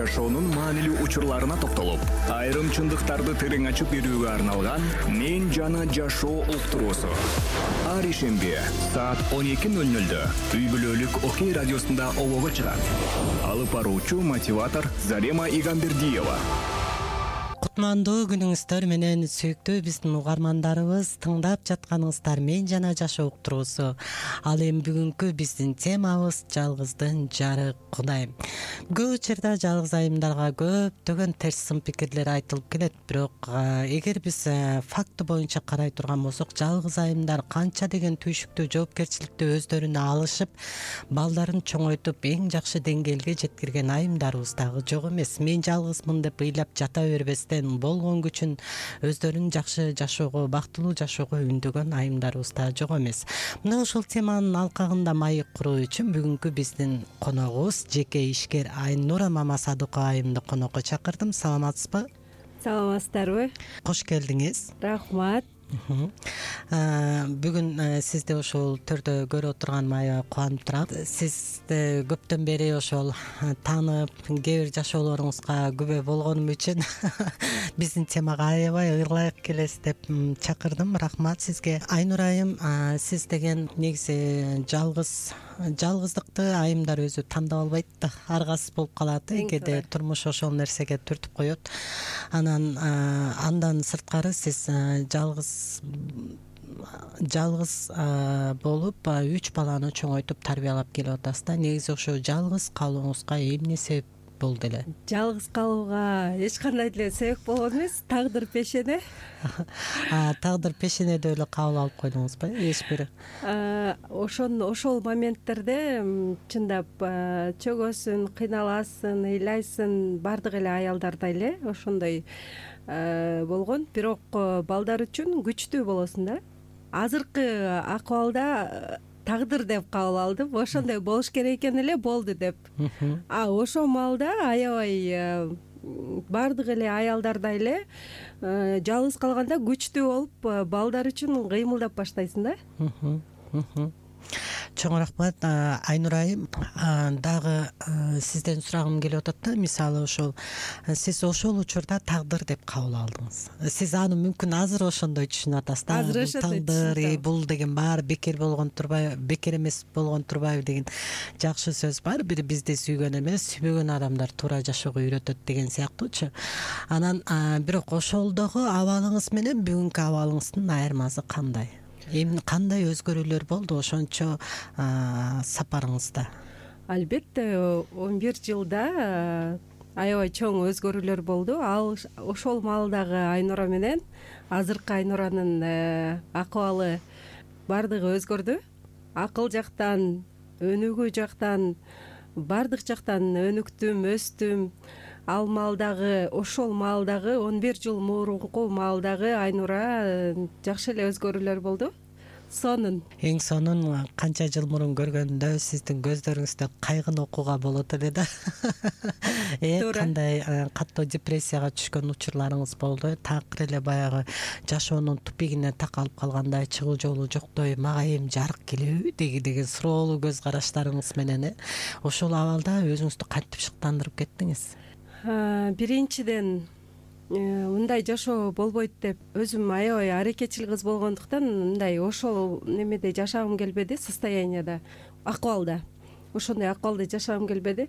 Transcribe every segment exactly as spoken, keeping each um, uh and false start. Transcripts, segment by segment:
жашоонун маанилүү учурларына токтолуп, айрым чындыктарды терең ачып берүүгө арналган «Мен жана жашоо» уктуруусу. Ар ишемби саат он эки ноль нольдө үй бүлөлүк Окей радиосунда обого чыгат. Алып баруучу мотиватор Зарема Игамбердиева. Кутмандуу күнүңүздөр менен сүйүктүү биздин угармандарыбыз, тыңдап жатканыңыздар «Мен жана жашоо» уктуруусу. Ал эми бүгүнкү биздин темабыз жалгыздын жары Кудай. Көп учурда жалгыз айымдарга көптөгөн терс сын пикирлер айтылып келет, бирок эгер биз факты боюнча карай турган болсок, жалгыз айымдар канча деген түйшүктүү жоопкерчиликти өздөрүнө алышып, балдарын чоңойтуп, эң жакшы деңгээлге жеткирген айымдарыбыз дагы жок эмес. Мен жалгызмын деп ыйлап жата бербестен, болгон күчүн өздөрүн жакшы жашоого, бактылуу жашоого үндөгөн айымдарыбыз да жок эмес. Мына ушул теманын алкагында маек куруу үчүн бүгүнкү биздин коногубуз жеке ишкер Айнура Мамасадыкова айымды конокко чакырдым. Саламатсызбы? Саламатсыздарбы? Кош келдиңиз. Рахмат. Бүгүн сизди ушул түрдө көрүп отурганыма аябай кубанып турам. Сизди көптөн бери ошол таанып, кээ бир жашоолоруңузга күбө болгонум үчүн биздин темага аябай ылайык келесиз деп чакырдым. Рахмат сизге. Айнура айым, сиз деген негизи жалгыз жалгыздыкты айымдар өзү тандап албайт да, аргасыз болуп калат, кээде турмуш ошол нерсеге түртүп коет. Анан андан сырткары сиз жалгыз жалгыз болуп үч баланы чоңойтуп тарбиялап келип атасыз да. Негизи ошо жалгыз калууңузга эмне себеп болду эле? Жалгыз калууга эч кандай деле себеп болгон эмес, тагдыр пешене. Тагдыр пешенеде эле кабыл алып койдуңузбу? Эч бир ошон ошол моменттерде чындап чөгөсүн, кыйналасың, ыйлайсың, баардык эле аялдарда эле ошондой болгон. Бирок балдар үчүн күчтүү болосуң да. Азыркы акыбалда тагдыр деп кабыл алдым. Ошондой болуш керек экен эле, болду деп. А ошол маалда аябай баардык эле аялдарда эле жалгыз калганда күчтүү болуп, балдар үчүн кыймылдап баштайсың да. Чоң рахмат. Айнура айым, дагы сизден сурагым келип атат да. Мисалы ошол сиз ошол учурда тагдыр деп кабыл алдыңыз. Сиз аны мүмкүн азыр ошондой түшүнүп атасыз да. Азыр ошондой тагдыр, бул деген баары бекер болгон турбайбы, бекер эмес болгон турбайбы деген жакшы сөз бар. Бир бизди сүйгөн эмес, сүйбөгөн адамдар туура жашоого үйрөтөт деген сыяктуучу. Анан бирок ошолдогу абалыңыз менен бүгүнкү абалыңыздын айырмасы кандай? Эми кандай өзгөрүүлөр болду ошончо сапарыңызда? Албетте, он бир жылда аябай чоң өзгөрүүлөр болду. Ал ошол маалдагы Айнура менен азыркы Айнуранын акыбалы баардыгы өзгөрдү. Акыл жактан, өнүгүү жактан, баардык жактан өнүктүм, өстүм. Ал маалдагы, ошол маалдагы он бир жыл мурунку маалдагы Айнура жакшы эле өзгөрүүлөр болду. Сонун. Эң сонун канча жыл мурун көргөндө сиздин көздөрүңүздө кайгын окууга болот эле да. Э, кандай каттуу депрессияга түшкөн учурларыңыз болду? Такыр эле баягы жашоонун тупигине такалып калгандай, чыгуу жолу жоктой, мага эми жарык келеби деген суроолуу көз караштарыңыз менен ошол абалда өзүңүздү кантип шыктандырып кеттиңиз? Биринчиден, мындай жашоо болбойт деп өзүм аябай аракетчил кыз болгондуктан мындай ошол немеде жашагым келбеди, состоянияда, акыбалда. Ошондой акыбалда жашагым келбеди.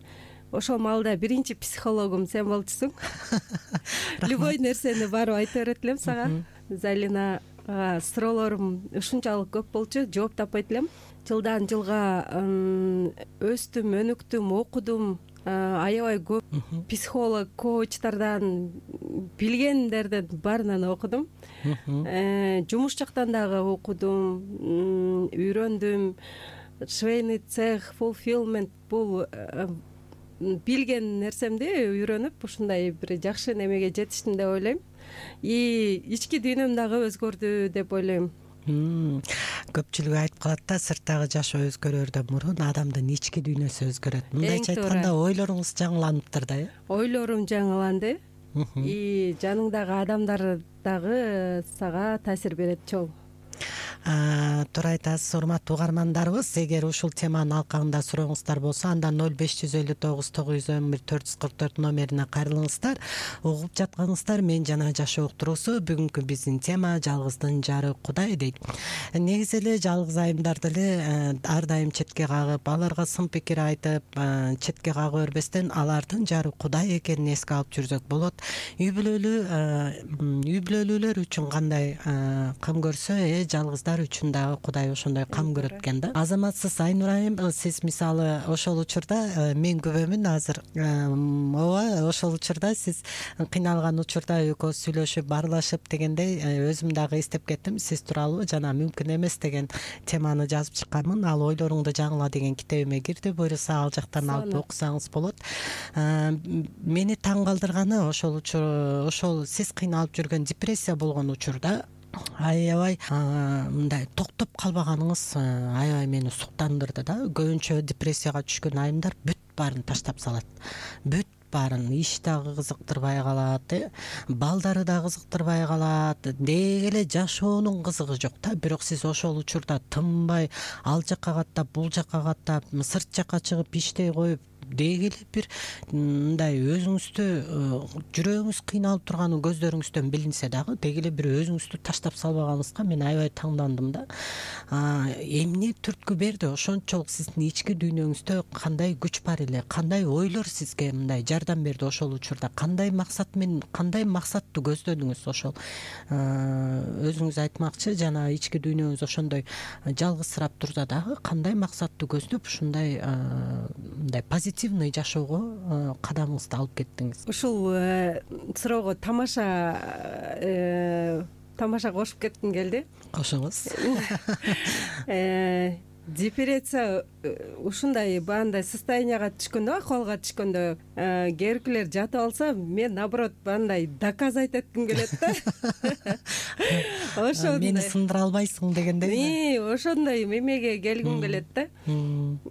Ошол маалда биринчи психологум сен болчусуң. Любой нерсени барып айта берет элем сага. Залинага суроолорум ушунчалык көп болчу, жооп таппайт элем. Жылдан жылга өстүм, өнүктүм, окудум. Аябай көп психолог, коучтардан, билгендерден баарынан окудум. Жумуш жактан дагы окудум, үйрөндүм. Швейный цех, fulfillment, бул билген нерсемди үйрөнүп, ушундай бир жакшы немеге жетиштим деп ойлойм. И ички дүйнөм дагы өзгөрдү деп ойлойм. Көпчүлүк айтып калат да, сырттагы жашоо өзгөрөрдөн мурун адамдын ички дүйнөсү өзгөрөт. Мындайча айтканда ойлоруңуз жаңыланыптыр да, э? Ойлорум жаңыланды. И жаныңдагы адамдар дагы сага таасир берет чоң. туура айтасыз урматтуу угармандарыбыз. Эгер ушул теманын алкагында сурооңуздар болсо, анда ноль беш жүз элүү тогуз тогуз жүз он бир төрт жүз кырк төрт номерине кайрылыңыздар. Угуп жатканыңыздар Мен жана жашоо уктуруусу. Бүгүнкү биздин тема жалгыздын жары Кудай дейт. Негизи эле жалгыз айымдар деле ар дайым четке кагып, аларга сын пикир айтып, четке кага бербестен алардын жары Кудай экенин эске алып жүрсөк болот. Үй бүлөлүү үй бүлөлүүлөр үчүн кандай кам көрсө, э жалгыздар үчүн дагы Кудай ошондой кам көрөт экен да. Азаматсыз Айнур айым, сиз мисалы ошол учурда мен күбөмүн азыр. Ооба, ошол учурда сиз кыйналган учурда экөөбүз сүйлөшүп, баарлашып дегендей өзүм дагы эстеп кеттим. Сиз тууралуу жана мүмкүн эмес деген теманы жазып чыкканмын. Ал ойлоруңду жаңыла деген китебиме кирди. Буюрса ал жактан алып окусаңыз болот. Мени таң калтырганы ошол учур ошол сиз кыйналып жүргөн депрессия болгон учурда аябай мындай токтоп калбаганыңыз аябай мени суктандырды да. Көбүнчө депрессияга түшкөн айымдар бүт баарын таштап салат. Бүт баарын иш дагы кызыктырбай калат, балдары да кызыктырбай калат, деги эле жашоонун кызыгы жок да. Бирок сиз ошол учурда тынбай ал жакка каттап, бул жакка каттап, сырт жакка чыгып иштей коюп, деги эле бир мындай өзүңүздү жүрөгүңүз кыйналып турганы көздөрүңүздөн билинсе дагы деги эле бир өзүңүздү таштап салбаганыңызга мен аябай таңдандым да. Эмне түрткү берди? Ошончолук сиздин ички дүйнөңүздө кандай күч бар эле, кандай ойлор сизге мындай жардам берди ошол учурда? Кандай максат менен, кандай максатты көздөдүңүз ошол? Өзүңүз айтмакчы, жана ички дүйнөңүз ошондой жалгызсырап турса дагы кандай максатты көздөп ушундай мындай позитивный жашоого кадамыңызды алып кеттиңиз? Ушул суроого тамаша тамаша кошуп кетким келди. Кошуңуз. Депрессия ушундай баандай состоянияга түшкөндө, акыбалга түшкөндө, кээбиркилер жатып алса, мен наоборот баандай доказать этким келет да. Ошондой мени сындыра албайсың дегендей. Ошондой мемеге келгим келет да.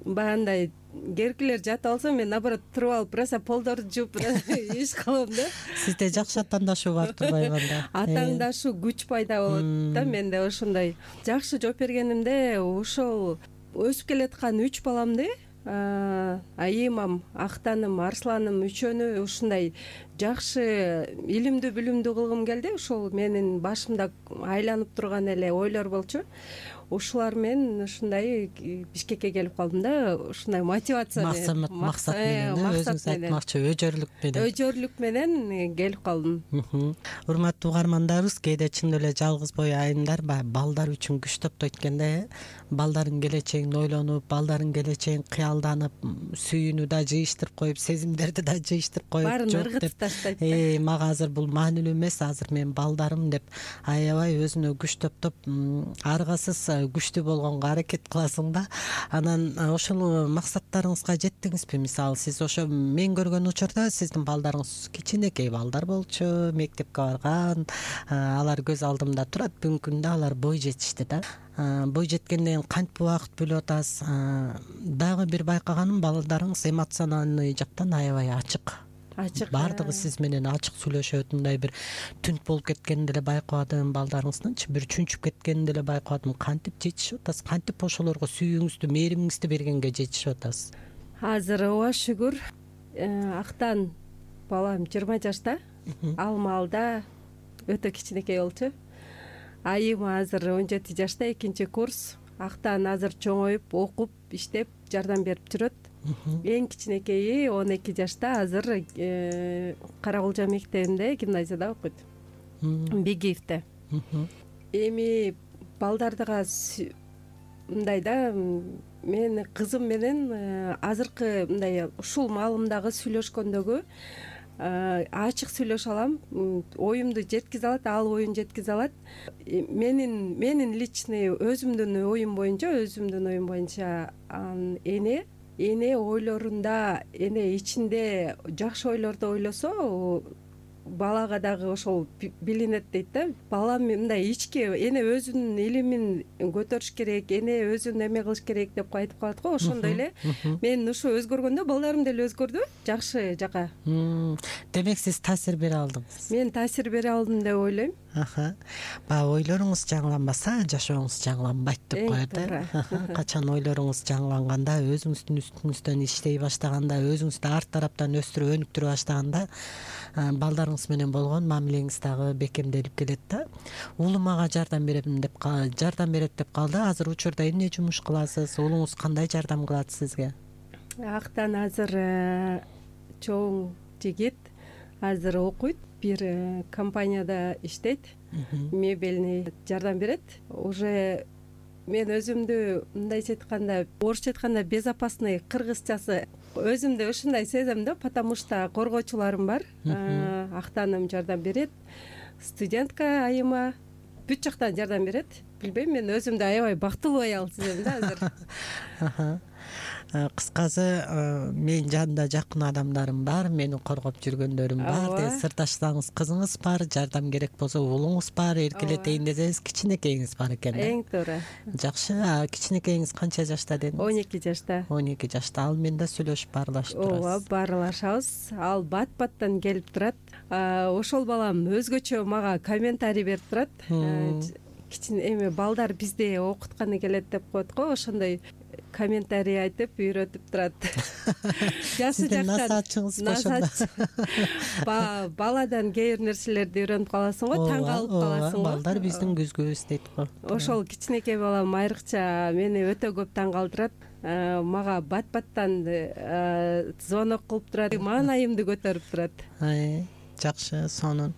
Баандай кээбиркилер жатып алса, мен наоборот туруп алып просто полдорду жууп иш кылам да. Сизде жакшы атаандашуу бар турбайбы анда? Атаандашуу, күч пайда болот да менде. Ошондой жакшы жооп бергенимде ошол өсүп келаткан үч баламды, айымам, Актаным, Арсланым үчөөнү ушундай жакшы илимдүү билимдүү кылгым келди. Ошол менин башымда айланып турган эле ойлор болчу. Ушулар менен ушундай Бишкекке келип калдым да. Ушундай мотивация менен, максат менен, өзүңүз айтмакчы өжөрлүк менен. Өжөрлүк менен келип калдым. Урматтуу угармандарыбыз, кээде чын эле жалгыз бой айымдар балдар үчүн күч топтойт экен да. Балдардын келечегин ойлонуп, балдардын келечегин кыялданып, сүйүүнү да жыйыштырып коюп, сезимдерди да жыйыштырып коюп, баарын ыргытып таштайт. Э, мага азыр бул маанилүү эмес, азыр мен балдарым деп аябай өзүнө күч топтоп, аргасыз күчтүү болгонго аракет кыласың да. Анан ошол максаттарыңызга жеттиңизби? Мисалы сиз ошо мен көргөн учурда сиздин балдарыңыз кичинекей балдар болчу, мектепке барган, алар көз алдымда турат. Бүгүнкү күндө алар бой жетишти да. Бой жеткенден кантип убакыт бөлүп атасыз? Дагы бир байкаганым, балдарыңыз эмоциональный жактан аябай ачык. Ачык. Бардыгы сиз менен ачык сүйлөшөт. Мындай бир түнт болуп кеткенин деле байкабадым балдарыңыздынчы, бир чүнчүп кеткенин деле байкабадым. Кантип жетишип атасыз? Кантип ошолорго сүйүүңүздү, мээримиңизди бергенге жетишип атасыз? Азыр ооба шүгүр, Актан балам жыйырма жашта, ал маалда өтө кичинекей болчу. Айым азыр он жети жашта, экинчи курс. Актан азыр чоңоюп, окуп, иштеп, жардам берип жүрөт. Эң кичинекейи он эки жашта, азыр Каракулжа мектебинде, гимназияда окуйт. Бегиевде. Эми балдардыга мындай да, мен кызым менен азыркы мындай ушул маалымдагы сүйлөшкөндөгү ачык сүйлөшө алам, оюмду жеткизе алат, ал оюн жеткизе алат. Менин менин личный өзүмдүн оюм боюнча, өзүмдүн оюм боюнча эне эне ойлорунда, эне ичинде жакшы ойлорду ойлосо, балага дагы ошол билинет дейт да. Бала мындай ички эне өзүнүн илимин көтөрүш керек, эне өзүн эме кылыш керек деп айтып калат го. Ошондой эле мен ушу өзгөргөндө балдарым деле өзгөрдү жакшы жака. Демек сиз таасир бере алдыңыз? Мен таасир бере алдым деп ойлойм. Аха. Баягы ойлоруңуз жаңыланбаса, жашооңуз жаңыланбайт деп коет э. Качан ойлоруңуз жаңыланганда, өзүңүздүн үстүңүздөн иштей баштаганда, өзүңүздү арт тараптан өстүрүп, өнүктүрө баштаганда, балдарыңыз менен болгон мамилеңиз дагы бекемделип келет да. Уулум мага жардам берем деп жардам берет деп калды. Азыр учурда эмне жумуш кыласыз? Уулуңуз кандай жардам кылат сизге? Актан азыр чоң жигит азыр окуйт, бир компанияда иштейт, мебельный жардам берет. Уже мен өзүмдү мындайча айтканда, орусча айтканда безопасный, кыргызчасы өзүмдү ушундай сезем да, потому что коргоочуларым бар. Актаным жардам берет, студентка айыма бүт жактан жардам берет. Билбейм, мен өзүмдү аябай бактылуу аял сезем да азыр. Кыскасы, менин жанымда жакын адамдарым бар, мени коргоп жүргөндөрүм бар. Сырдаштарыңыз, кызыңыз бар, жардам керек болсо уулуңуз бар, эркелетейин десеңиз кичинекейиңиз бар экен да. Эң туура. Жакшы. Кичинекейиңиз канча жашта дедиңиз? он эки жашта. он эки жашта. Ал менен да сүйлөшүп баарлашып турасыз. Ооба, баарлашабыз. Ал бат-баттан келип турат. Ошол балам өзгөчө мага комментарий берип турат. Кичине эме балдар бизде окутканы келет деп коет го, ошондой комментарий айтып үйрөтүп турат. Жасы жактан насаатчыңыз ошондо. Баладан кээ бир нерселерди үйрөнүп каласың го, таң калып каласың го. Балдар биздин күзгүбүз дейт го. Ошол кичинекей балам айрыкча мени өтө көп таң калтырат. Мага бат-баттан звонок кылып турат, маанайымды көтөрүп турат. Жакшы, сонун.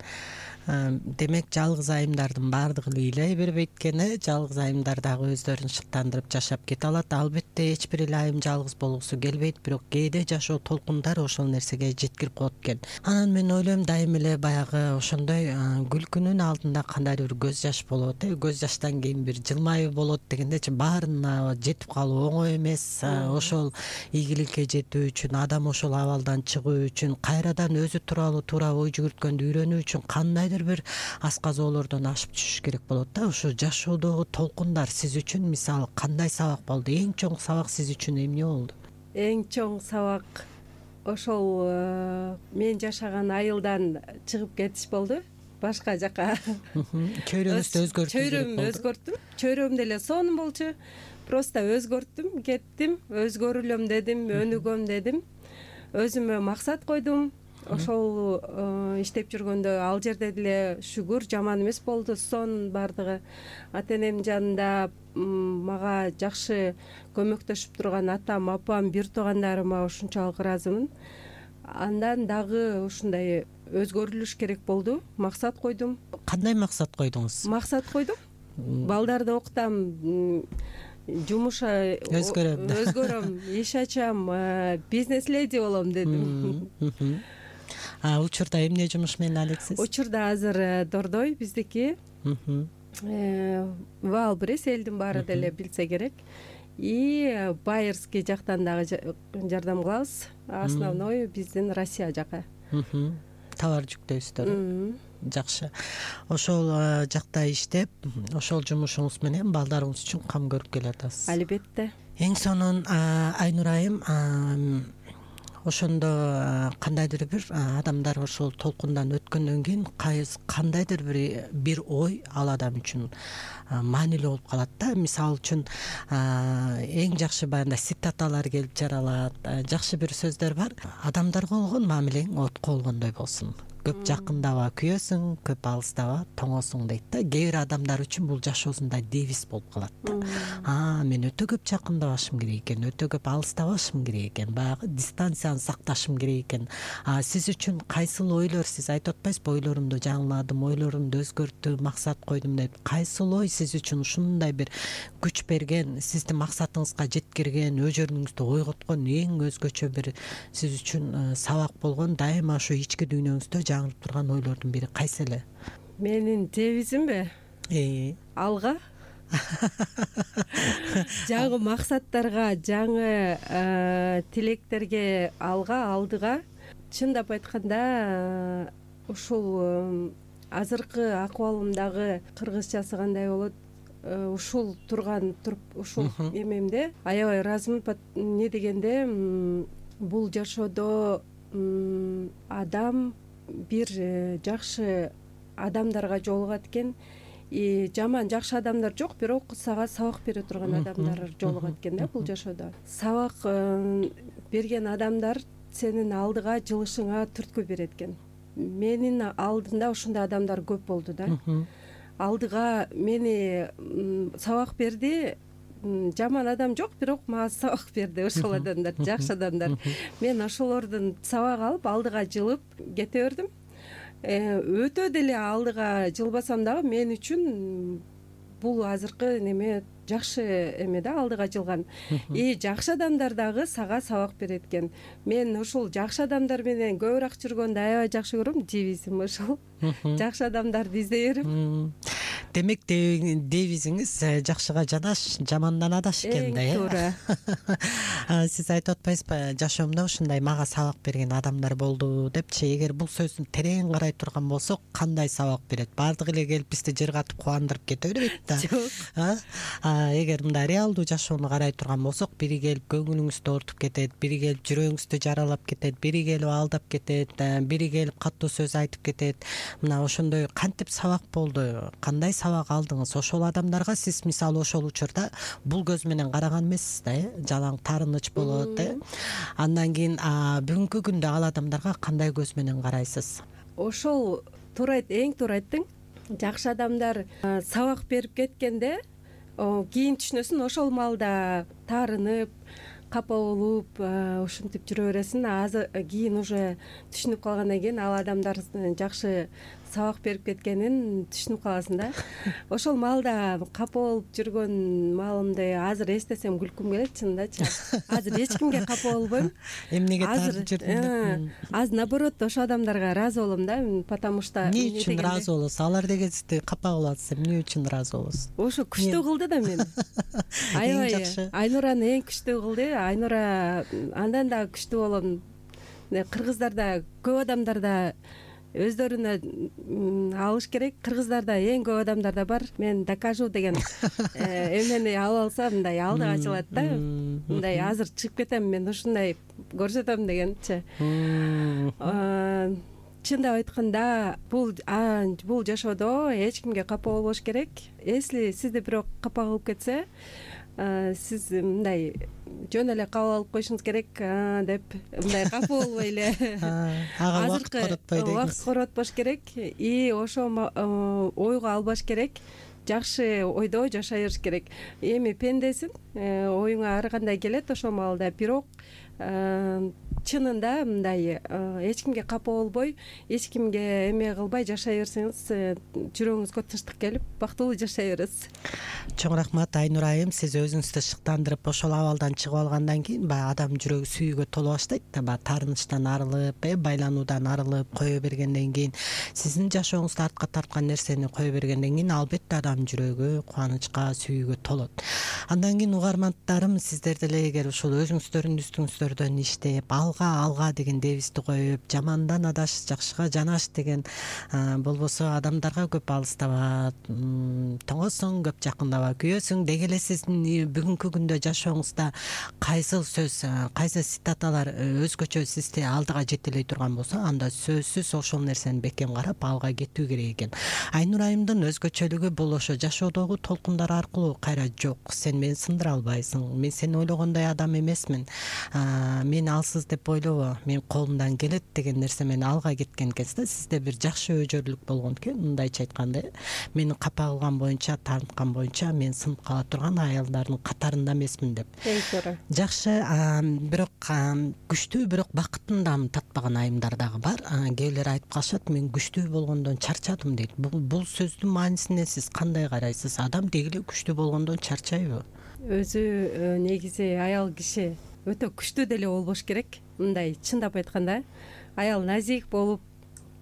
Демек жалгыз айымдардын баардыгы эле ыйлай бербейт экен, жалгыз айымдар дагы өздөрүн шыктандырып жашап кете алат. Албетте эч бир эле айым жалгыз болгусу келбейт, бирок кээде жашоо толкундары ошол нерсеге жеткирип коет экен. Анан мен ойлойм, дайым эле баягы ошондой күлкүнүн алдында кандайдыр бир көз жаш болот, э, көз жаштан кийин бир жылмаюу болот дегендечи, баарына жетип калуу оңой эмес. Ошол ийгиликке жетүү үчүн, адам ошол абалдан чыгуу үчүн, кайрадан өзү тууралуу туура ой жүгүрткөндү үйрөнүү үчүн кандайдыр бир асказоолордон ашып түшүш керек болот да. Ошо жашоодогу толкундар сиз үчүн мисалы кандай сабак болду? Эң чоң сабак сиз үчүн эмне болду? Эң чоң сабак ошол мен жашаган айылдан чыгып кетиш болду, башка жака. Чөйрөңүздү өзгөртүү керек болду. Чөйрөмдү өзгөрттүм. Чөйрөм деле сонун болчу. Просто өзгөрттүм, кеттим, өзгөрүлөм дедим, өнүгөм дедим. Өзүмө максат койдум. Ошол иштеп жүргөндө ал жерде деле шүгүр жаман эмес болду, сонун баардыгы. Ата энемдин жанында мага жакшы көмөктөшүп турган атам, апам, бир туугандарыма ушунчалык ыраазымын. Андан дагы ушундай өзгөрүлүш керек болду, максат койдум. Кандай максат койдуңуз? Максат койдум. Балдарды окутам, жумуш өзгөрөм, өзгөрөм, иш ачам, бизнес леди болом дедим. Учурда эмне жумуш менен алексиз? Учурда азыр Дордой биздики. Валбрис элдин баары деле билсе керек. И Байерский жактан дагы жардам кылабыз. Основной биздин Россия жака. Товар жүктөйсүздөр. Жакшы. Ошол жакта иштеп, ошол жумушуңуз менен балдарыңыз үчүн кам көрүп келатасыз. Албетте. Эң сонун Айнур айым, ошондо кандайдыр бир адамдар ошол толкундан өткөндөн кийин кандайдыр бир бир ой ал адам үчүн маанилүү болуп калат да. Мисалы үчүн эң жакшы баягындай цитаталар келип жаралат. Жакшы бир сөздөр бар. Адамдарга болгон мамилең отко болгондой болсун. Көп жакындаба күйөсүң, көп алыстаба тоңосуң дейт да. Кээ бир адамдар үчүн бул жашоосунда девиз болуп калат да. А, мен өтө көп жакындабашым керек экен, өтө көп алыстабашым керек экен, баягы дистанцияны сакташым керек экен. А сиз үчүн кайсыл ойлор, сиз айтып атпайсызбы, ойлорумду жаңыладым, ойлорумду өзгөрттүм, максат койдум деп. Кайсыл ой сиз үчүн ушундай бир күч берген, сизди максатыңызга жеткирген, өжөрүңүздү ойготкон, эң өзгөчө бир сиз үчүн сабак болгон, дайыма ошо ички дүйнөңүздө жаңырып турган ойлордун бири кайсы эле? Менин девизимби? Э. Алга. Жаңы максаттарга, жаңы тилектерге, алга, алдыга. Чындап айтканда, ушул азыркы акыбалымдагы кыргызчасы кандай болот? Ушул турган туруп, ушул эмемде аябай ыраазымын. Не дегенде, бул жашоодо адам бир жакшы адамдарга жолугат экен. И жаман жакшы адамдар жок, бирок сага сабак бере турган адамдар жолугат экен да бул жашоодо. Сабак берген адамдар сенин алдыга жылышыңа түрткү берет экен. Менин алдымда ушундай адамдар көп болду да. Алдыга мени сабак берди. Жаман адам жок, бирок мага сабак берди ошол адамдар, жакшы адамдар. Мен ошолордун сабак алып алдыга жылып кете бердим. Өтө деле алдыга жылбасам дагы мен үчүн бул азыркы неме жакшы эме да, алдыга жылган. И жакшы адамдар дагы сага сабак берет экен. Мен ушул жакшы адамдар менен көбүрөөк жүргөндү аябай жакшы көрөм. Девизим ошол. Жакшы адамдарды издей берип. Демек девизиңиз жакшыга жанаш, жамандан адаш экен да, э? Туура. Сиз айтып атпайсызбы, жашоомдо ушундай мага сабак берген адамдар болду депчи. Эгер бул сөздүн терең карай турган болсок, кандай сабак берет? Баардыгы эле келип бизди жыргатып кубандырып кете бербейт да. Жок. Эгер мындай реалдуу жашоону карай турган болсок, бири келип көңүлүңүздү ортуп кетет, бири келип жүрөгүңүздү жаралап кетет, бири келип алдап кетет, бири келип катуу сөз айтып кетет. Мына ошондой кантип сабак болду? Кандай сабак алдыңыз? Ошол адамдарга сиз мисалы ошол учурда бул көз менен караган эмессиз да, э? Жалаң таарыныч болот, э? Андан кийин бүгүнкү күндө ал адамдарга кандай көз менен карайсыз? Ошол туура айт, эң туура айттың. Жакшы адамдар сабак берип кеткенде кийин түшүнөсүн, ошол маалда таарынып, капа болуп, ушинтип жүрө бересиң. Азыр кийин уже түшүнүп калгандан кийин ал адамдар жакшы сабак берип кеткенин түшүнүп каласың да. Ошол маалда капа болуп жүргөн маалымды азыр эстесем күлкүм келет, чынындачы. Азыр эч кимге капа болбойм. Эмнеге таарып жүрдүң? Азыр наоборот ошол адамдарга ыраазы болом да, потому что эмне үчүн ыраазы болосуз? Алар деген сизди капа кылып атса, эмне үчүн ыраазы болосуз? Ошо күчтүү кылды да мени. Аябай Айнураны эң күчтүү кылды. Айнура андан да күчтүү болом. Кыргыздарда көп адамдарда өздөрүнө алыш керек. Кыргыздарда эң көп адамдарда бар. Мен докажу деген эмени алып алса, мындай алдыга чыгат да. Мындай азыр чыгып кетем, мен ушундай көрсөтөм дегенчи. Чындап айтканда, бул бул жашоодо эч кимге капа болбош керек. Если сизди бирок капа кылып кетсе, сиз мындай жөн эле кабыл алып коюшуңуз керек деп, мындай капа болбой эле ага убакыт коротпой дегиз. Убакыт коротпош керек и ошо ойго албаш керек. Жакшы ойдо жашай бериш керек. Эми пендесиң, оюңа ар кандай келет ошол маалда, бирок чынында мындай эч кимге капа болбой, эч кимге эме кылбай жашай берсеңиз, жүрөгүңүзгө тынчтык келип, бактылуу жашай бересиз. Чоң рахмат Айнура айым, сиз өзүңүздү шыктандырып ошол абалдан чыгып алгандан кийин баягы адам жүрөгү сүйүүгө толо баштайт да, баягы таарынычтан арылып, байлануудан арылып кое бергенден кийин, сиздин жашооңузда артка тарткан нерсени кое бергенден кийин албетте адам жүрөгү кубанычка, сүйүүгө толот. Андан кийин угармандарым, сиздер деле эгер ушул өзүңүздөрдүн үстүңүздөрдөн иштеп, алга алга деген девизди коюп, жамандан адаш, жакшыга жанаш деген болбосо адамдарга көп алыстабат, тоңосуң, көп жакындабат, күйөсүң деги эле сиздин бүгүнкү күндө жашооңузда кайсы сөз, кайсы цитаталар өзгөчө сизди алдыга жетелей турган болсо, анда сөзсүз ошол нерсени бекем карап алга кетүү керек экен. Айнура айымдын өзгөчөлүгү бул ошо жашоодогу толкундар аркылуу кайра жок, сен мени сындыра албайсың, мен сен ойлогондой адам эмесмин, мен алсыз деп ойлобо, мен колумдан келет деген нерсе менен алга кеткен кезде сизде бир жакшы өжөрлүк болгон экен. Мындайча айтканда, мени капа кылган боюнча, тартынткан боюнча мен сынып кала турган аялдардын катарында эмесмин деп. Жакшы, бирок күчтүү, бирок бакытын дагы татпаган айымдар дагы бар. Кээ бирлер айтып калышат, мен күчтүү болгондон чарчадым дейт. Бул сөздүн маанисине сиз кандай карайсыз? Адам деги эле күчтүү болгондон чарчайбы? Өзү негизи аял киши өтө күчтүү деле болбош керек. Мындай чындап айтканда, аял назик болуп,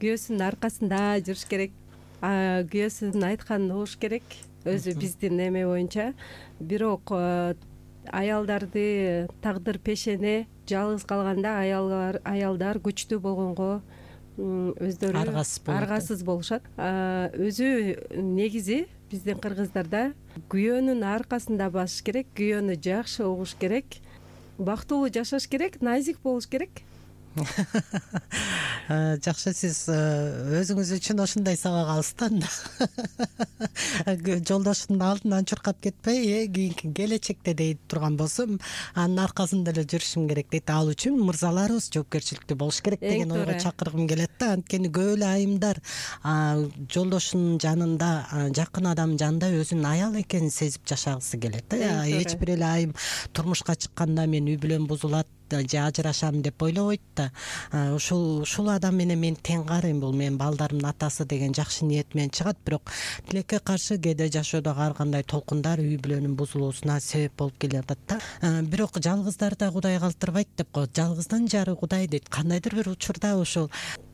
күйөөсүнүн аркасында жүрүш керек, күйөөсүнүн айтканын угуш керек, өзү биздин эме боюнча. Бирок аялдарды тагдыр пешене жалгыз калганда аялдар аялдар күчтүү болгонго өздөрү аргасыз болушат. Өзү негизи биздин кыргыздарда күйөөнүн аркасында басыш керек, күйөөнү жакшы угуш керек, бактылуу жашаш керек, назик болуш керек. Жакшы, сиз өзүңүз үчүн ушундай сабак алыстан жолдошунун алдынан чуркап кетпей, э кийинки келечекте дейт турган болсом, анын аркасында эле жүрүшүм керек дейт. Ал үчүн мырзаларыбыз жоопкерчиликтүү болуш керек деген ойго чакыргым келет да. Анткени көп эле айымдар жолдошунун жанында, жакын адамдын жанында өзүнүн аял экенин сезип жашагысы келет да. Эч бир эле айым турмушка чыкканда мен үй бүлөм бузулат же ажырашам деп ойлобойт да. Ушул ушул адам менен мен тең карайм, бул менин балдарымдын атасы деген жакшы ниет менен чыгат, бирок тилекке каршы кээде жашоодогу ар кандай толкундар үй бүлөнүн бузулуусуна себеп болуп келе жатат да. Бирок жалгыздар да Кудай калтырбайт деп коет. Жалгыздын жары Кудай дейт. Кандайдыр бир учурда ушул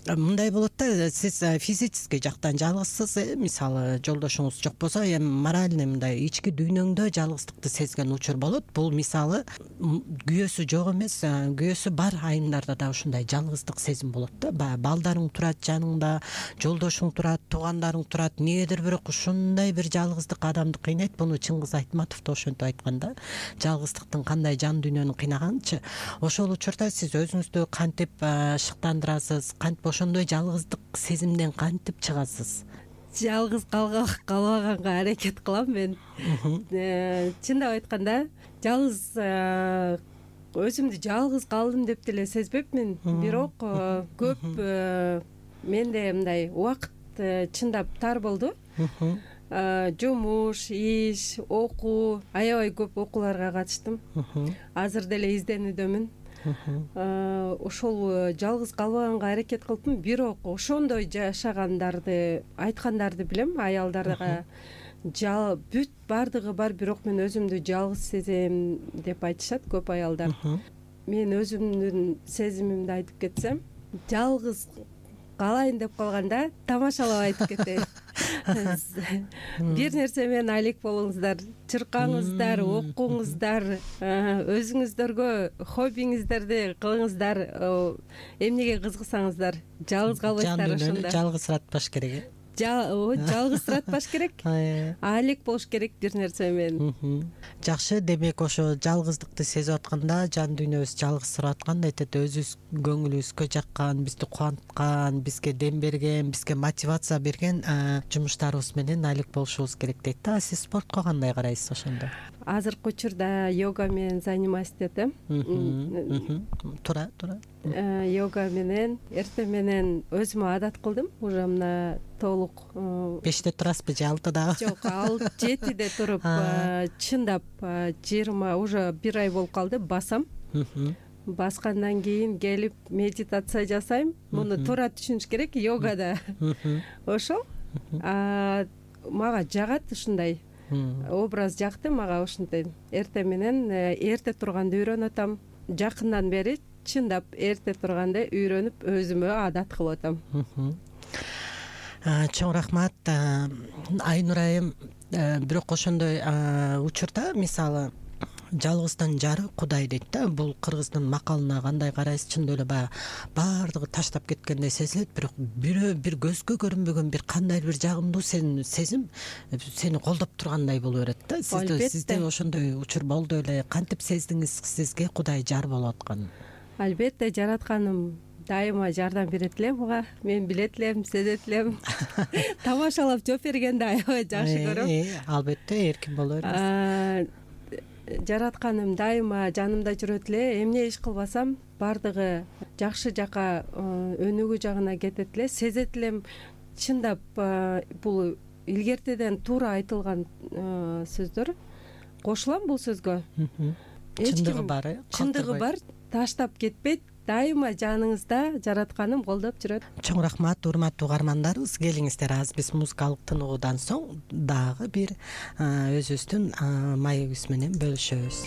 мындай болот да, сиз физический жактан жалгызсыз, мисалы жолдошуңуз жок болсо, эми моральный мындай ички дүйнөңдө жалгыздыкты сезген учур болот. Бул мисалы күйөөсү жок эмес, күйөөсү бар айымдарда да ушундай жалгыздык сезим болот да. Балдарың турат жаныңда, жолдошуң турат, туугандарың турат, эмнегедир бирок ушундай бир жалгыздык адамды кыйнайт. Буну Чыңгыз Айтматов да ошентип айткан да. Жалгыздыктын кандай жан дүйнөнү кыйнаганынчы. Ошол учурда сиз өзүңүздү кантип шыктандырасыз, кантип ошондой жалгыздык сезимден кантип чыгасыз? Жалгыз калбаганга аракет кылам мен. Чындап айтканда, жалгыз өзүмдү жалгыз калдым деп деле сезбепмин, бирок көп менде мындай убакыт чындап тар болду. Жумуш, иш, окуу, аябай көп окууларга катыштым. Азыр деле изденүүдөмүн. Ошол жалгыз калбаганга аракет кылыпмын, бирок ошондой жашагандарды, айткандарды билем, аялдарга бүт бардыгы бар, бирок мен өзүмдү жалгыз сезем деп айтышат көп аялдар. Мен өзүмдүн сезимимди айтып кетсем, жалгыз калайын деп калганда тамашалап айтып кетейин. Бир нерсе менен алек болуңуздар, чыркаңыздар, окуңуздар, өзүңүздөргө хоббиңиздерди кылыңыздар, эмнеге кызыксаңыздар, жалгыз калбайсыздар ошондо. Жалгызсыратпаш керек. Жалгызсыратпаш керек, алек болуш керек бир нерсе менен. Жакшы, демек ошо жалгыздыкты сезип атканда, жан дүйнөбүз жалгызсырап атканда айтат, өзүбүз көңүлүбүзгө жаккан, бизди кубанткан, бизге дем берген, бизге мотивация берген жумуштарыбыз менен алек болушубуз керек дейт да. Сиз спортко кандай карайсыз ошондо? Азыркы учурда йога менен заниматься этет этем. Туура, туура. Йога менен эртең менен өзүмө адат кылдым. Уже мына толук беште турасызбы же алтыдабы? Жок, ал жетиде туруп, чындап жыйырма уже бир ай болуп калды басам. Баскандан кийин келип медитация жасайм. Муну туура түшүнүш керек йогада. Ошол мага жагат, ушундай образ жакты мага. Ушундай эртең менен эрте турганды үйрөнүп атам. Жакындан бери чындап эрте турганды үйрөнүп өзүмө адат кылып атам. Чоң рахмат Айнур айым. Бирок ошондой учурда мисалы жалгыздын жары Кудай дейт да. Бул кыргыздын макалына кандай карайсыз? Чындап эле баягы баардыгы таштап кеткендей сезилет, бирок бирөө бир көзгө көрүнбөгөн бир кандайдыр бир жагымдуу сезим сени колдоп тургандай боло берет да. Сизде ошондой учур болду эле? Кантип сездиңиз сизге Кудай жар болуп атканын? Албетте, жаратканым дайыма жардам берет эле мага. Мен билет элем, сезет элем. Тамашалап жооп бергенди аябай жакшы көрөм. Албетте, эркин боло берет. Жаратканым дайыма жанымда жүрөт эле. Эмне иш кылбасам, бардыгы жакшы жака, өнүгүү жагына кетет эле. Сезет элем, чындап бул илгертеден туура айтылган сөздөр. Кошулам бул сөзгө. Чындыгы бар, э? Чындыгы бар, таштап кетпейт. Дайыма жаныңызда жаратканым колдоп жүрөт. Чоң рахмат, урматтуу угармандарыбыз. Келиңиздер, азыр биз музыкалык тынуудан соң дагы бир өзүбүздүн маегибиз менен бөлүшөбүз.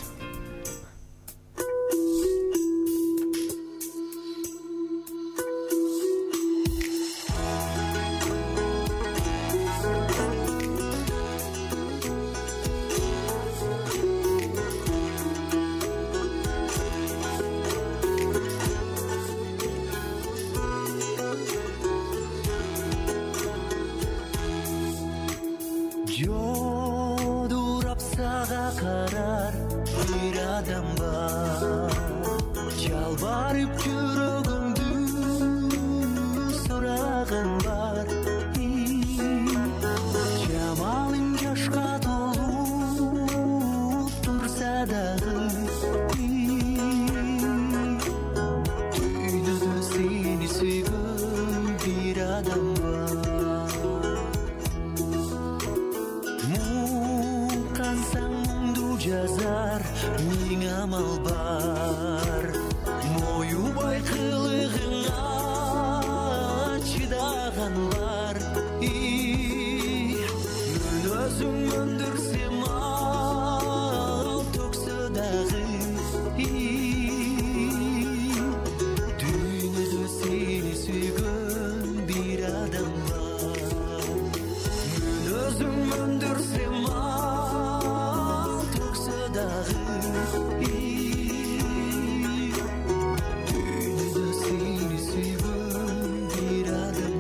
Жодурап сага карар сени сүйгөн бир адам бар. Мен өзүм өндүрсем ал төксө дагы дүйнөдө сени сүйгөн бир адам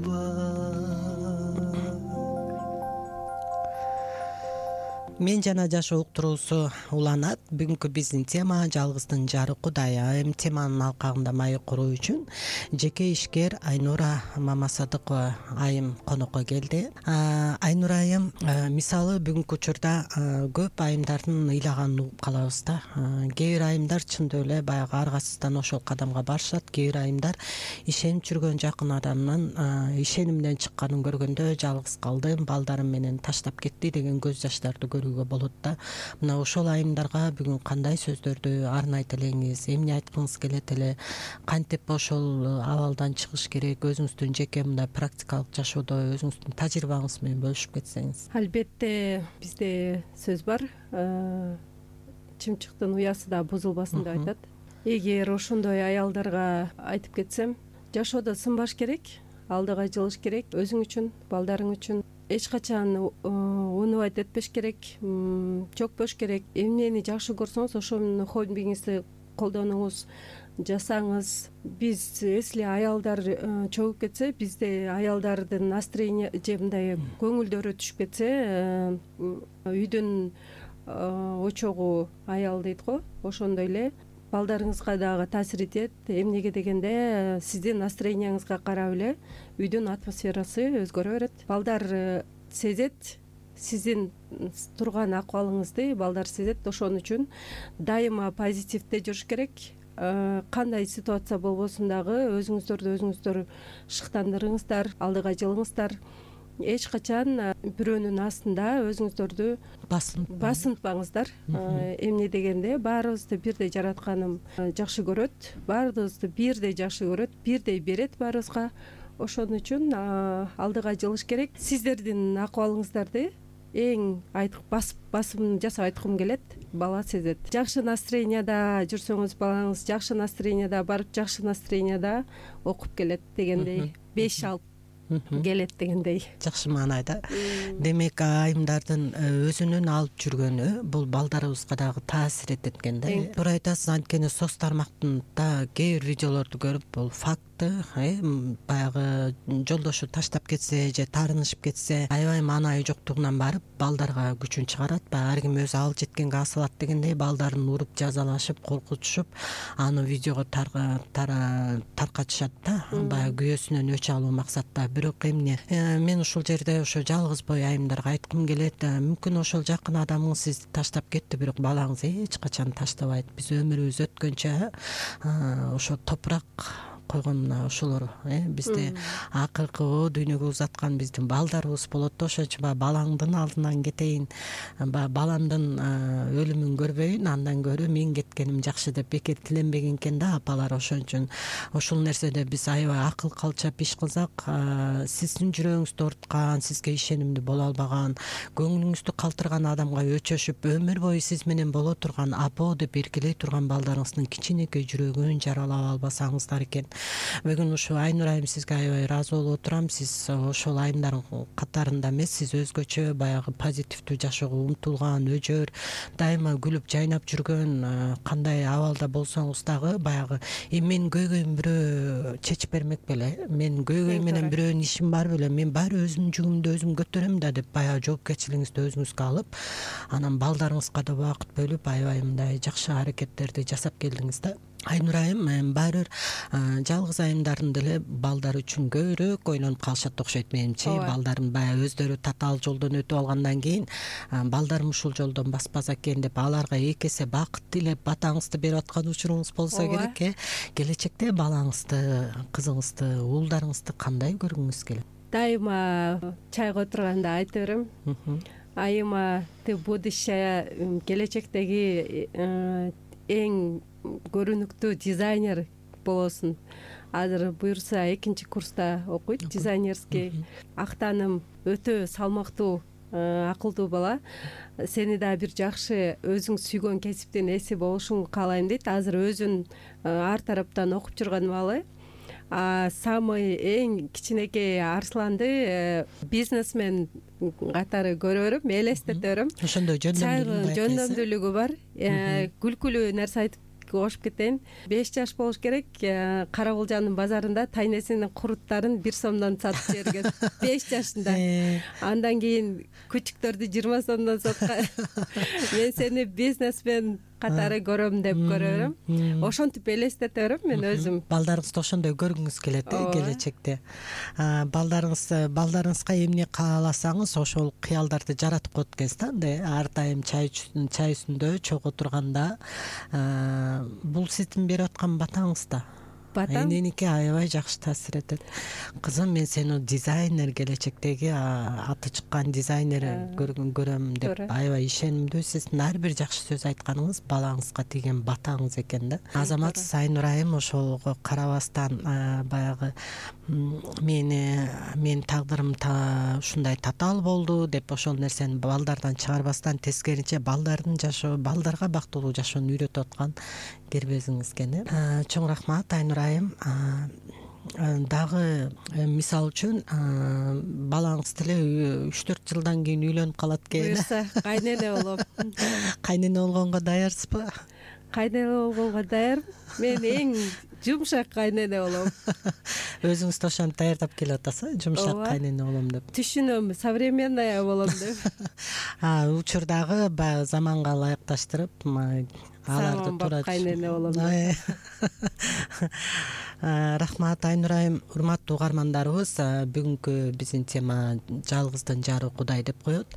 бар. Мен жана жашоо уктуруусу уланат. Бүгүнкү биздин тема жалгыздын жары Кудай. Эми теманын алкагында маек куруу үчүн жеке ишкер Айнура Мамасадыкова айым конокко келди. Айнура айым мисалы бүгүнкү учурда көп айымдардын ыйлаганын угуп калабыз да. Кээ бир айымдар чындап эле баягы аргасыздан ошол кадамга барышат. Кээ бир айымдар ишенип жүргөн жакын адамдын ишенимден чыкканын көргөндө жалгыз калдым, балдарым менен таштап кетти деген көз жаштарды көрүүгө болот да. Мына ошол айымдарга бүгүн кандай сөздөрдү арнайт элеңиз, эмне айткыңыз келет эле, кантип ошол абалдан чыгыш керек, өзүңүздүн жеке мындай практикалык жашоодо өзүңүздүн тажрыйбаңыз менен бөлүшүп кетсеңиз. Албетте бизде сөз бар, чымчыктын уясы да бузулбасын деп айтат. Эгер ошондой аялдарга айтып кетсем, жашоодо сынбаш керек, алдыга жылыш керек, өзүң үчүн, балдарың үчүн. Эч качан унубайт этпеш керек, чөкпөш керек. Эмнени жакшы көрсөңүз ошонун хоббиңизди колдонуңуз, жасаңыз. Биз если аялдар чөгүп кетсе, бизде аялдардын настроение же мындай көңүлдөрү түшүп кетсе, үйдүн очогу аял дейт го, ошондой эле балдарыңызга дагы таасир этет. Эмнеге дегенде, сиздин настроенияңызга карап эле үйдүн атмосферасы өзгөрө берет. Балдар сезет сиздин турган акыбалыңызды, балдар сезет. Ошон үчүн дайыма позитивде жүрүш керек. Кандай ситуация болбосун дагы өзүңүздөрдү өзүңүздөр шыктандырыңыздар, алдыга жылыңыздар. Эч качан бирөөнүн астында өзүңүздөрдү басынтпаңыздар. Эмне дегенде, баарыбызды бирдей жаратканым жакшы көрөт, баарыбызды бирдей жакшы көрөт, бирдей берет баарыбызга. Ошон үчүн алдыга жылыш керек. Сиздердин акыбалыңыздарды эң басым жасап айткым келет, бала сезет. Жакшы настроенияда жүрсөңүз, балаңыз жакшы настроенияда барып, жакшы настроенияда окуп келет дегендей, беш алып келет дегендей. Жакшы маанайда. Демек, айымдардын өзүнүн алып жүргөнү бул балдарыбызга дагы таасир этет экен да. Туура айтасыз, анткени соц тармактын да кээ бир видеолорду көрүп, бул факт баягы жолдошу таштап кетсе же таарынышып кетсе, аябай маанайы жоктугунан барып балдарга күчүн чыгарат. Баягы ар ким өзү ал жеткенге асылат дегендей балдарын уруп, жазалашып, коркутушуп, аны видеого таркатышат да, баягы күйөөсүнөн өч алуу максатта. Бирок эмне, мен ушул жерде ошо жалгыз бой айымдарга айткым келет, мүмкүн ошол жакын адамыңыз сизди таштап кетти, бирок балаңыз эч качан таштабайт. Биз өмүрүбүз өткөнчө ошо топурак койгон мына ошолор э бизде акыркы о дүйнөгө узаткан биздин балдарыбыз болот да, ошон үчүн баягы балаңдын алдынан кетейин, баягы баламдын өлүмүн көрбөйүн, андан көрө мен кеткеним жакшы деп бекер тиленбеген экен да апалар. Ошон үчүн ошол нерседе биз аябай акыл калчап иш кылсак, сиздин жүрөгүңүздү ооруткан, сизге ишенимдүү боло албаган, көңүлүңүздү калтырган адамга өчөшүп өмүр бою сиз менен боло турган, апо деп эркелей турган балдарыңыздын кичинекей жүрөгүн жаралап албасаңыздар экен. Бүгүн ушу Айнур айым сизге аябай ыраазы болуп отурам. Сиз ошол айымдардын катарында эмес, сиз өзгөчө баягы позитивдүү жашоого умтулган, өжөр, дайыма күлүп жайнап жүргөн, кандай абалда болсоңуз дагы баягы мен көйгөйүм бирөө чечип бермек беле, мен көйгөй менен бирөөнүн ишим бар беле, мен баары өзүмдүн жүгүмдү өзүм көтөрөм да деп баягы жоопкерчилигиңизди өзүңүзгө алып, анан балдарыңызга да убакыт бөлүп аябай мындай жакшы аракеттерди жасап келдиңиз да. Айнур айым баары бир жалгыз айымдардын деле балдары үчүн көбүрөөк ойлонуп калышат окшойт менимче. Балдарын баягы өздөрү татаал жолдон өтүп алгандан кийин балдарым ушул жолдон баспаса экен деп аларга эки эсе бакыт тилеп батаңызды берип аткан учуруңуз болсо керек э. Келечекте балаңызды, кызыңызды, уулдарыңызды кандай көргүңүз келет? Дайыма чайга отурганда айта берем. Айыма, ты будущая, келечектеги эң көрүнүктүү дизайнер болосуң. Азыр буюрса экинчи курста окуйт, дизайнерский. Актаным, өтө салмактуу, акылдуу бала. Сени да бир жакшы өзүң сүйгөн кесиптин ээси болушуңду каалайм дейт. Азыр өзүн ар тараптан окуп жүргөн бала. Самый эң кичинекей Арсланды бизнесмен катары көрө берем, элестете берем. Ошондой жөндөмдүүлүгү бар. Күлкүлүү нерсе айтып кошуп кетейин. беш жаш болуш керек, Кара Булжандын базарында тайнесинин куруттарын бир сомдон сатып жиберген. беш жашында. Андан кийин күчүктөрдү жыйырма сомдон саткан. Мен сени бизнесмен катары көрөм деп көрө берем. Ошентип элестете берем мен өзүм. Балдарыңызды ошондой көргүңүз келет э келечекте. Балдарыңыз балдарыңызга эмне кааласаңыз ошол кыялдарды жаратып коет экенсиз да. Андай ар дайым чай чай үстүндө чогуу турганда бул сиздин берип аткан батаңыз да. Батам эненики аябай жакшы таасир этет. Кызым, мен сени дизайнер, келечектеги аты чыккан дизайнер көрөм деп аябай ишенимдүү. Сиздин ар бир жакшы сөз айтканыңыз балаңызга тийген батаңыз экен да. Азаматсыз Айнур айым ошого карабастан баягы мени мен тагдырым ушундай татаал болду деп ошол нерсени балдардан чыгарбастан, тескерисинче балдардын жашоо, балдарга бактылуу жашоону үйрөтүп аткан кербезиңиз экен э. Чоң рахмат Айнур айым. Дагы мисал үчүн балаңыз деле үч төрт жылдан кийин үйлөнүп калат экен. Буюрса кайнене болом. Кайнене болгонго даярсызбы? Кайнене болгонго даярмын. Мен эң жумшак кайнене болом. Өзүңүз ошентип даярдап келип атасыз, жумшак кайнене болом деп. Түшүнөм, современная болом деп. А учурдагы баягы заманга ылайыкташтырып аларды туура кайнене болом деп. Рахмат Айнур айым. Урматтуу угармандарыбыз, бүгүнкү биздин тема жалгыздын жары Кудай деп коет.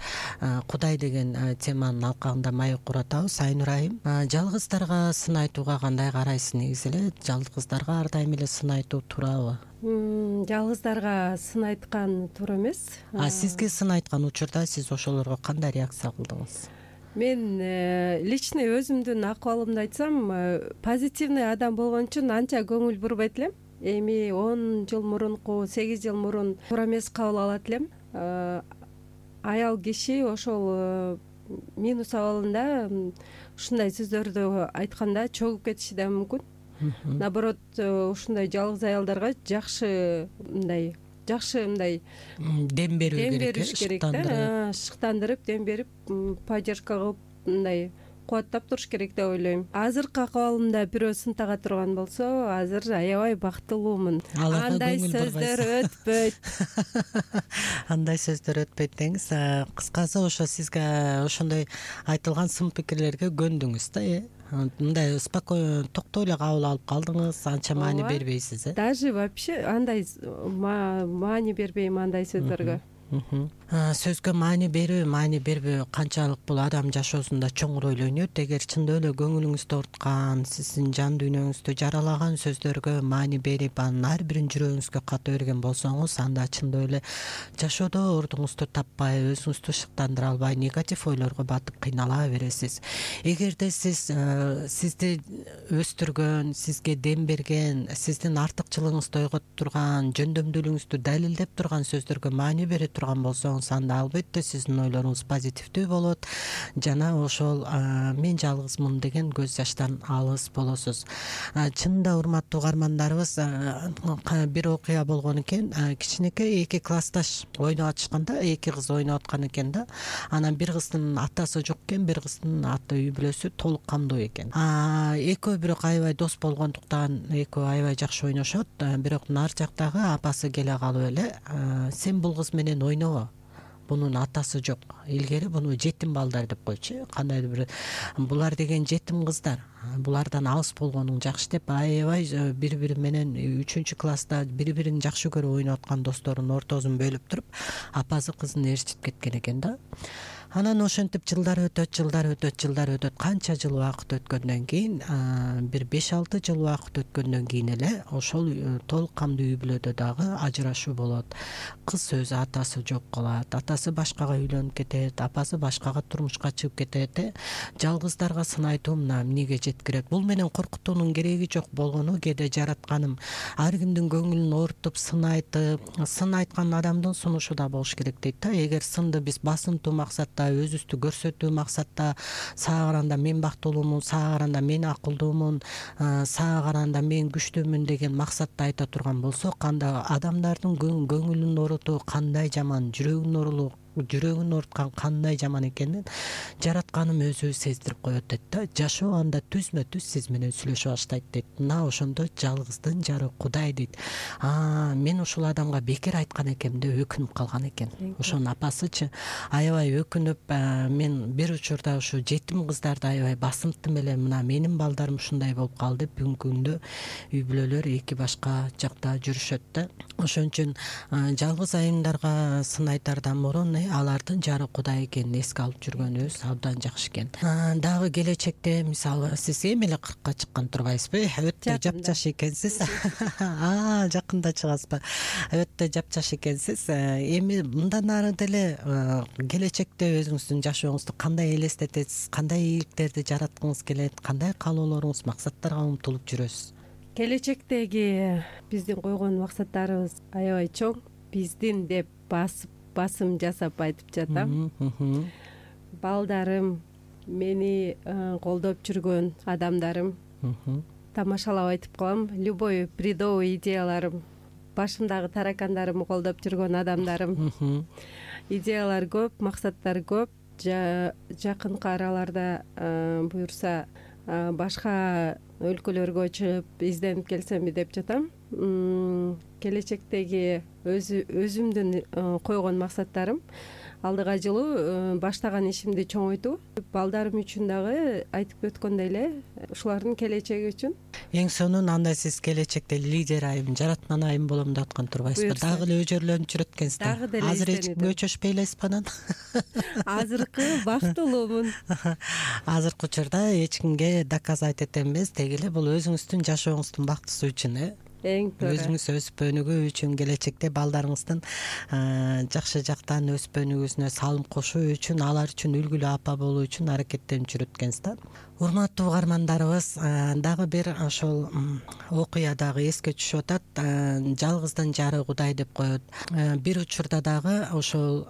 Кудай деген теманын алкагында маек куратабыз. Айнур айым, жалгыздарга сын айтууга кандай карайсыз негизи эле? Жалгыздарга ар дайым эле сын айтуу туурабы? Жалгыздарга сын айткан туура эмес. А сизге сын айткан учурда сиз ошолорго кандай реакция кылдыңыз? Мен личный өзүмдүн акыбалымды айтсам, позитивный адам болгон үчүн анча көңүл бурбайт элем. Эми он жыл мурунку, сегиз жыл мурун туура эмес кабыл алат элем. Аял киши ошол минус абалында ушундай сөздөрдү айтканда чогуп кетиши да мүмкүн. Наоборот, ушундай жалгыз аялдарга жакшы мындай жакшы мындай дем берүү керек, шыктандырып, шыктандырып, дем берип, поддержка кылып, мындай кубаттап туруш керек деп ойлойм. Азыркы акыбалымда бирөө сын тага турган болсо, азыр аябай бактылуумун. Андай сөздөр өтпөйт. Андай сөздөр өтпөйт деңиз. Кыскасы ошо сизге ошондой айтылган сын пикирлерге көндүңүз да, э? Мындай спокойно, токтой эле кабыл алып калдыңыз, анча маани бербейсиз, э? Даже вообще андай маани бербейм андай сөздөргө. сөзгө маани берүү маани бербөө канчалык бул адам жашоосунда чоңур роль ойнойт. Эгер чындап эле көңүлүңүздү ооруткан, сиздин жан дүйнөңүздү жаралаган сөздөргө маани берип, анын ар бирин жүрөгүңүзгө ката берген болсоңуз, анда чындап эле жашоодо ордуңузду таппай, өзүңүздү шыктандыра албай, негатив ойлорго батып кыйнала бересиз. Эгерде сиз сизди өстүргөн, сизге дем берген, сиздин артыкчылыгыңызды ойготуп турган, жөндөмдүүлүгүңүздү далилдеп турган сөздөргө маани бере турган болсоңуз, анда албетте сиздин ойлоруңуз позитивдүү болот жана ошол мен жалгызмын деген көз жаштан алыс болосуз. Чынында урматтуу угармандарыбыз, бир окуя болгон экен. Кичинекей эки классташ ойноп атышканда, эки кыз ойноп аткан экен да. Анан бир кыздын атасы жок экен, бир кыздын ата үй бүлөсү толук камдуу экен. Экөө бирок аябай дос болгондуктан экөө аябай жакшы ойношот. Бирок нар жактагы апасы келе калып эле, сен бул кыз менен ойнобо, бунун атасы жок. Илгери буну жетим балдар деп койчу. Кандайдыр бир булар деген жетим кыздар, булардан алыс болгонуң жакшы деп аябай бири-бири менен үчүнчү класста бири-бирин жакшы көрүп ойноп аткан досторунун ортосун бөлүп туруп, апасы кызын ээрчитип кеткен экен да. Анан ошентип жылдар өтөт, жылдар өтөт, жылдар өтөт. Канча жыл убакыт өткөндөн кийин, бир беш алты жыл убакыт өткөндөн кийин эле ошол толук камдуу үй бүлөдө дагы ажырашуу болот. Кыз өзү атасы жок калат, атасы башкага үйлөнүп кетет, апасы башкага турмушка чыгып кетет. Жалгыздарга сын айтуу мына эмнеге жеткирет? Бул менен коркутуунун кереги жок болгону кээде жаратканым ар кимдин көңүлүн оорутуп, сын айтып, сын айткан адамдын сунушу да болуш керек дейт да. Эгер сынды биз басынтуу максатта, өзүбүздү көрсөтүү максатта, сага караганда мен бактылуумун, сага караганда мен акылдуумун, сага караганда мен күчтүүмүн деген максатта айта турган болсок, анда адамдардын көңүлүн оорутуу кандай жаман, жүрөгүн оорулуу жүрөгүн ооруткан кандай жаман экенин жаратканым өзү сездирип коет дейт да. Жашоо анда түзмө түз сиз менен сүйлөшө баштайт дейт. Мына ошондо жалгыздын жары Кудай дейт. А мен ушул адамга бекер айткан экенм деп өкүнүп калган экен. Ошонун апасычы аябай өкүнүп, мен бир учурда ушу жетим кыздарды аябай басынттым эле, мына менин балдарым ушундай болуп калды деп бүгүнкү күндө үй бүлөлөр эки башка жакта жүрүшөт да. Ошон үчүн жалгыз айымдарга сын айтардан мурун алардын жары Кудай экенин эске алып жүргөнүбүз абдан жакшы экен. Дагы келечекте, мисалы, сиз эми эле кыркка чыккан турбайсызбы? Өтө жапжаш экенсиз. А, жакында чыгасызбы? Өтө жапжаш экенсиз. Эми мындан ары деле келечекте өзүңүздүн жашооңузду кандай элестетесиз? Кандай ийгиликтерди жараткыңыз келет? Кандай каалоолоруңуз, максаттарга умтулуп жүрөсүз? Келечектеги биздин койгон максаттарыбыз аябай чоң. Биздин деп басып басым жасап айтып жатам. Балдарым, мени колдоп жүргөн адамдарым, тамашалап айтып коем, любой бредовый идеяларым, башымдагы таракандарымды колдоп жүргөн адамдарым. Идеялар көп, максаттар көп. Жакынкы араларда буюрса башка өлкөлөргө чыгып изденип келсемби деп жатам. Келечектеги өзүмдүн койгон максаттарым алдыга жылуу баштаган ишимди чоңойтуу, балдарым үчүн дагы айтып өткөндөй эле ушулардын келечеги үчүн. Эң сонун анда сиз келечекте лидер айым, жараткан айым болом деп аткан турбайсызбы? Дагы эле өжөрлөнүп жүрөт экенсиз. Азыр эч кимге өчөшпөй элесизби анан? Азыркы бактылуумун. Азыркы учурда эч кимге доказать эте эмес, деги эле бул өзүңүздүн жашооңуздун бактысы үчүн, э? Эң туура. Өзүңүз өсүп өнүгүү үчүн, келечекте балдарыңыздын жакшы жактан өсүп өнүгүүсүнө салым кошуу үчүн, алар үчүн үлгүлүү апа болуу үчүн аракеттенип жүрөт экенсиз да. Урматтуу угармандарыбыз, дагы бир ошол окуя дагы эске түшүп атат. Жалгыздын жары Кудай деп коет. Бир учурда дагы ошол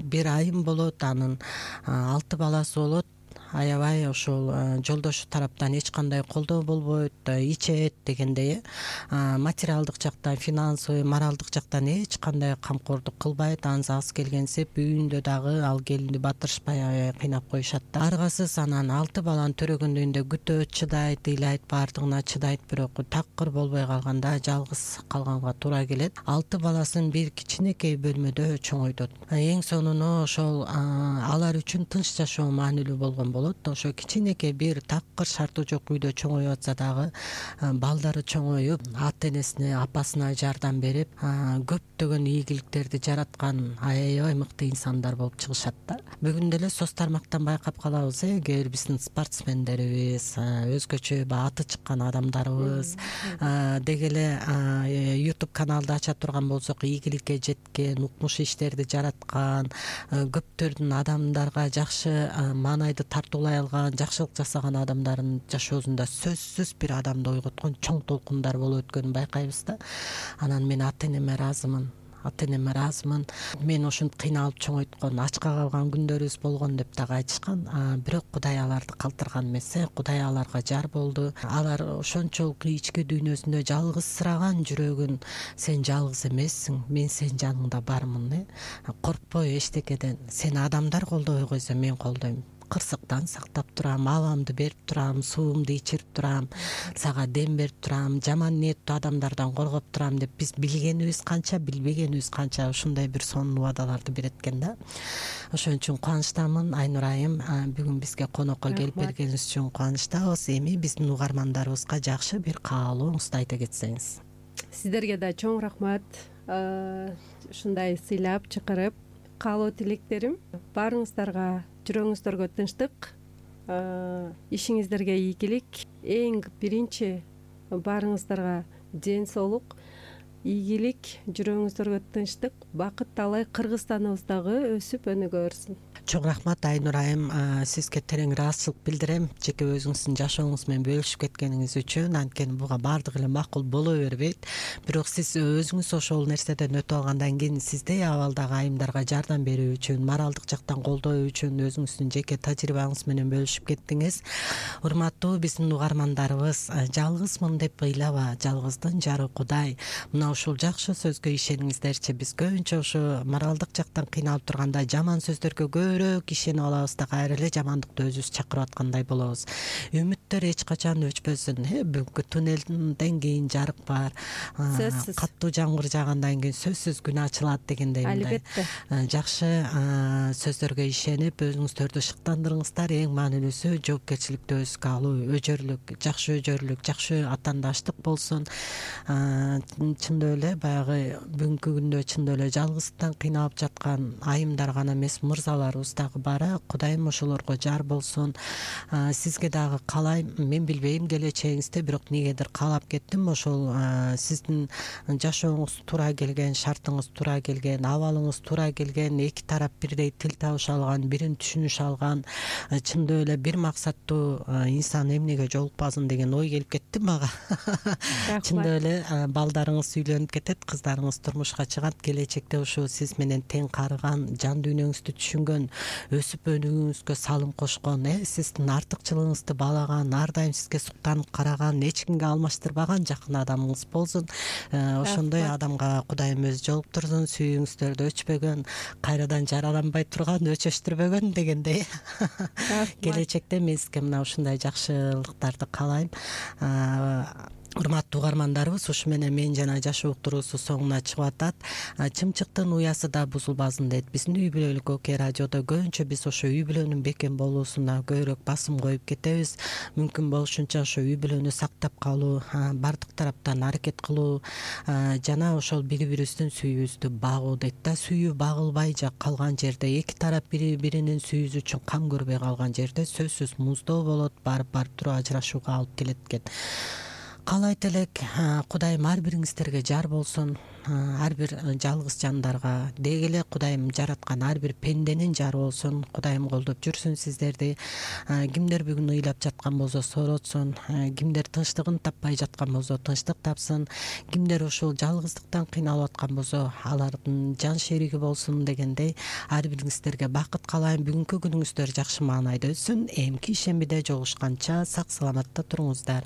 бир айым болот, анын алты баласы болот. Аябай ошол жолдошу тараптан эч кандай колдоо болбойт, ичет дегендей, материалдык жактан, финансовый, моралдык жактан эч кандай камкордук кылбайт. Ансыз келгенсип үйүндө дагы ал келинди батырышпай аябай кыйнап коюшат да. Аргасыз анан алты баланы төрөгөндөгүндө күтөт, чыдайт, ыйлайт, баардыгына чыдайт, бирок такыр болбой калганда жалгыз калганга туура келет. Алты баласын бир кичинекей бөлмөдө чоңойтот. Эң сонуну ошол алар үчүн тынч жашоо маанилүү болгон болот. болот. Ошо кичинекей бир такыр шарты жок үйдө чоңоюп атса дагы балдары чоңоюп ата энесине апасына жардам берип көптөгөн ийгиликтерди жараткан аябай мыкты инсандар болуп чыгышат да. Бүгүн деле соц тармактан байкап калабыз, кээ бир биздин спортсмендерибиз, өзгөчө аты чыккан адамдарыбыз деги эле ютуб каналды ача турган болсок, ийгиликке жеткен, укмуш иштерди жараткан, көптөрдүн адамдарга жакшы маанайды тартуулай алган, жакшылык жасаган адамдардын жашоосунда сөзсүз бир адамды ойготкон чоң толкундар болуп өткөнүн байкайбыз да. Анан мен ата энеме ыраазымын. Ата энеме ыраазымын. Мен ушинтип кыйналып чоңойткон, ачка калган күндөрүбүз болгон деп дагы айтышкан. Бирок Кудай аларды калтырган эмес, Кудай аларга жар болду. Алар ошончолук ички дүйнөсүндө жалгызсыраган жүрөгүн сен жалгыз эмессиң, мен сенин жаныңда бармын. Коркпой эчтекеден. Сени адамдар колдобой койсо мен колдойм. Кырсыктан сактап турам, абамды берип турам, суумду ичирип турам, сага дем берип турам, жаман ниеттүү адамдардан коргоп турам деп биз билгенибиз канча, билбегенибиз канча ушундай бир сонун убадаларды берет экен да. Ошон үчүн кубанычтамын. Айнур айым, бүгүн бизге конокко келип бергениңиз үчүн кубанычтабыз. Эми биздин угармандарыбызга жакшы бир каалооңузду айта кетсеңиз. Сиздерге да чоң рахмат. Ушундай сыйлап чакырып, каалоо тилектерим баарыңыздарга жүрөгүңүздөргө тынчтык, ишиңиздерге ийгилик, эң биринчи баарыңыздарга ден соолук, ийгилик, жүрөгүңүздөргө тынчтык, бакыт талай Кыргызстаныбыздагы өсүп өнүгө берсин. Чоң рахмат Айнур айым, сизге терең ыраазычылык билдирем. Жеке өзүңүздүн жашооңуз менен бөлүшүп кеткениңиз үчүн. Анткени буга баардыгы эле макул боло бербейт. Бирок сиз өзүңүз ошол нерседен өтүп алгандан кийин сиздей абалдагы айымдарга жардам берүү үчүн, моралдык жактан колдоо үчүн өзүңүздүн жеке тажрыйбаңыз менен бөлүшүп кеттиңиз. Урматтуу биздин угармандарыбыз, жалгызмын деп ыйлаба, жалгыздын жары Кудай. Мына ушул жакшы сөзгө ишениңиздерчи. Биз көбүнчө ушу моралдык жактан кыйналып турганда жаман сөздөргө көбүрөөк ишенип алабыз да кайра эле жамандыкты өзүбүз чакырып аткандай болобуз. Үмүттөр эч качан өчпөсүн. Бүгүнкү туннелден кийин жарык бар. Сөзсүз. Каттуу жамгыр жаагандан кийин сөзсүз күн ачылат дегендей. Албетте. Жакшы сөздөргө ишенип өзүңүздөрдү шыктандырыңыздар. Эң маанилүүсү жоопкерчиликти өзүңүзгө алуу, өжөрлүк, жакшы өжөрлүк, жакшы атаандаштык болсун. Чындап эле баягы бүгүнкү күндө чындап эле жалгыздыктан кыйналып жаткан айымдар гана эмес, мырзалар дагы бара. Кудайым ошолорго жар болсун. Сизге дагы каалайм, мен билбейм келечегиңизди, бирок негедир каалап кеттим. Ошол сиздин жашооңуз туура келген, шартыңыз туура келген, абалыңыз туура келген, эки тарап бирдей тил табыша алган, бирин түшүнүшө алган, чындап эле бир максаттуу инсан эмнеге жолукпасын деген ой келип кетти мага. Чындап эле балдарыңыз үйлөнүп кетет, кыздарыңыз турмушка чыгат, келечекте ушу сиз менен тең карыган, жан дүйнөңүздү түшүнгөн, өсүп өнүгүүңүзгө салым кошкон, сиздин артыкчылыгыңызды баалаган, ар дайым сизге суктанып караган, эч кимге алмаштырбаган жакын адамыңыз болсун. Ошондой адамга Кудайым өзү жолуктурсун, сүйүүңүздөрдү өчпөгөн, кайрадан жараланбай турган, өчөштүрбөгөн дегендей. Келечекте мен сизге мына ушундай жакшылыктарды каалайм. Урматтуу угармандарыбыз, ушу менен мен жана жашоо уктуруусу соңуна чыгып атат. Чымчыктын уясы да бузулбасын дейт. Биздин үй бүлөлүк Оке радиодо көбүнчө биз ошо үй бүлөнүн бекем болуусуна көбүрөөк басым коюп кетебиз. Мүмкүн болушунча ошо үй бүлөнү сактап калуу, бардык тараптан аракет кылуу жана ошол бири бирибиздин сүйүүбүздү багуу дейт да. Сүйүү багылбай калган жерде, эки тарап бири биринин сүйүүсү үчүн кам көрбөй калган жерде сөзсүз муздоо болот, барып барып туруп ажырашууга алып келет экен. Каалайт элек, Кудайым ар бириңиздерге жар болсун, ар бир жалгыз жандарга, деги эле Кудайым жараткан ар бир пенденин жары болсун. Кудайым колдоп жүрсүн сиздерди. Кимдер бүгүн ыйлап жаткан болсо сооротсун, кимдер тынчтыгын таппай жаткан болсо тынчтык тапсын, кимдер ушул жалгыздыктан кыйналып аткан болсо алардын жан шериги болсун дегендей ар бириңиздерге бакыт каалайм. Бүгүнкү күнүңүздөр жакшы маанайда өтсүн. Эмки ишембиде жолугушканча сак саламатта туруңуздар.